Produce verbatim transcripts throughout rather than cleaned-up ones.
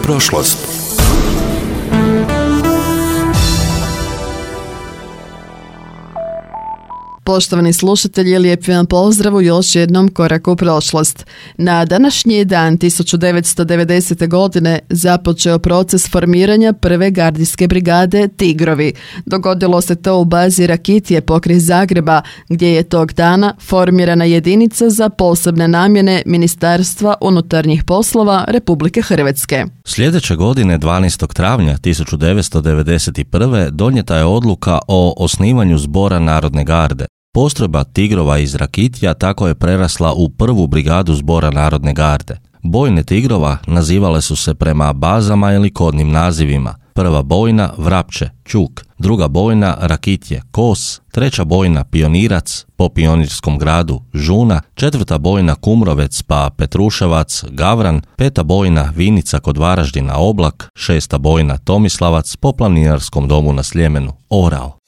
prošlost. Poštovani slušatelji, lijep vam pozdrav u još jednom koraku u prošlost. Na današnji dan tisuću devetsto devedesete. godine započeo proces formiranja prve gardijske brigade Tigrovi. Dogodilo se to u bazi Rakitje pokraj Zagreba, gdje je tog dana formirana jedinica za posebne namjene Ministarstva unutarnjih poslova Republike Hrvatske. Sljedeće godine, dvanaestog travnja tisuću devetsto devedeset prve. donijeta je odluka o osnivanju Zbora Narodne garde. Postrojba Tigrova iz Rakitja tako je prerasla u prvu brigadu Zbora Narodne garde. Bojne Tigrova nazivale su se prema bazama ili kodnim nazivima. Prva bojna Vrapče, Čuk, druga bojna Rakitje, Kos, treća bojna Pionirac, po Pionirskom gradu Žuna, četvrta bojna Kumrovec pa Petruševac, Gavran, peta bojna Vinica kod Varaždina Oblak, šesta bojna Tomislavac po Planinarskom domu na Sljemenu Orao.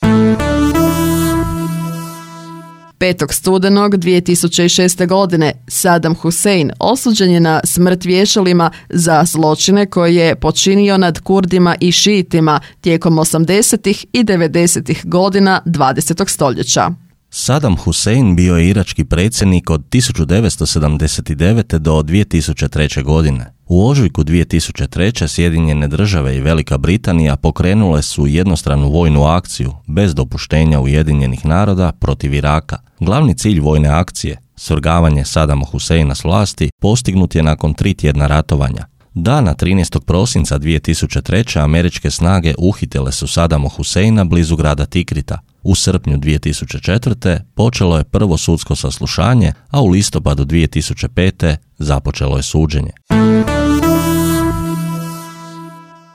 petog studenog dvije tisuće šeste. godine Saddam Hussein osuđen je na smrt vješalima za zločine koje je počinio nad Kurdima i Šiitima tijekom osamdesetih i devedesetih godina dvadesetog stoljeća. Saddam Hussein bio je irački predsjednik od tisuću devetsto sedamdeset devete. do dvije tisuće treće. godine. U ožujku dvije tisuće treće. Sjedinjene države i Velika Britanija pokrenule su jednostranu vojnu akciju bez dopuštenja Ujedinjenih naroda protiv Iraka. Glavni cilj vojne akcije, svrgavanje Saddama Husseina s vlasti, postignut je nakon tri tjedna ratovanja. Dana trinaestog prosinca dvije tisuće treće. američke snage uhitile su Saddama Husseina blizu grada Tikrita. U srpnju dvije tisuće četvrte. počelo je prvo sudsko saslušanje, a u listopadu dvije tisuće pete. započelo je suđenje.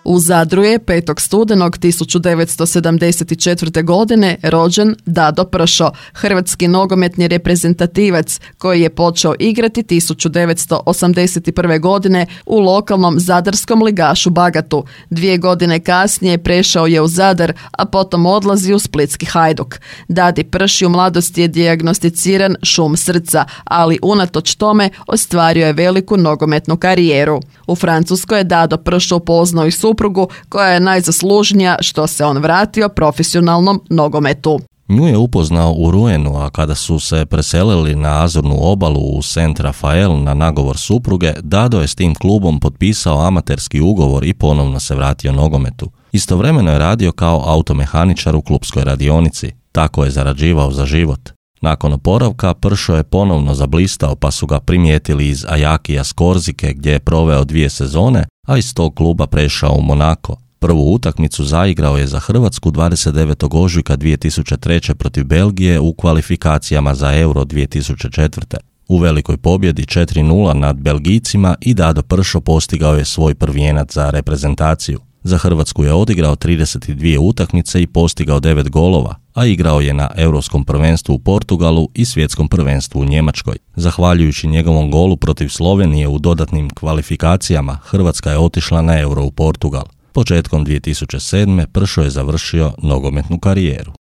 U Zadru je petog studenog tisuću devetsto sedamdeset četvrte. godine rođen Dado Pršo, hrvatski nogometni reprezentativac koji je počeo igrati tisuću devetsto osamdeset prve. godine u lokalnom zadarskom ligašu Bagatu. Dvije godine kasnije prešao je u Zadar, a potom odlazi u splitski Hajduk. Dadi Prši u mladosti je dijagnosticiran šum srca, ali unatoč tome ostvario je veliku nogometnu karijeru. U Francuskoj je Dado Pršo upoznao i suprugu koja je najzaslužnija što se on vratio profesionalnom nogometu. Nju je upoznao u Ruenu, a kada su se preselili na Azurnu obalu u Saint Rafael na nagovor supruge, Dado je s tim klubom potpisao amaterski ugovor i ponovno se vratio nogometu. Istovremeno je radio kao automehaničar u klupskoj radionici. Tako je zarađivao za život. Nakon oporavka Pršo je ponovno zablistao pa su ga primijetili iz Ajakija s Korzike gdje je proveo dvije sezone, a iz tog kluba prešao u Monako. Prvu utakmicu zaigrao je za Hrvatsku dvadeset devetog ožujka dvije tisuće treće. protiv Belgije u kvalifikacijama za Euro dvije tisuće četvrte. U velikoj pobjedi četiri nula nad Belgijcima i Dado Pršo postigao je svoj prvijenac za reprezentaciju. Za Hrvatsku je odigrao trideset dvije utakmice i postigao devet golova, a igrao je na Europskom prvenstvu u Portugalu i Svjetskom prvenstvu u Njemačkoj. Zahvaljujući njegovom golu protiv Slovenije u dodatnim kvalifikacijama, Hrvatska je otišla na Euro u Portugal. Početkom dvije tisuće sedme. Pršo je završio nogometnu karijeru.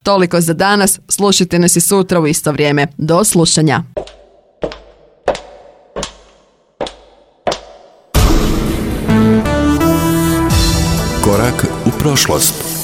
Toliko za danas, slušajte nas i sutra u isto vrijeme. Do slušanja. Korak u prošlost.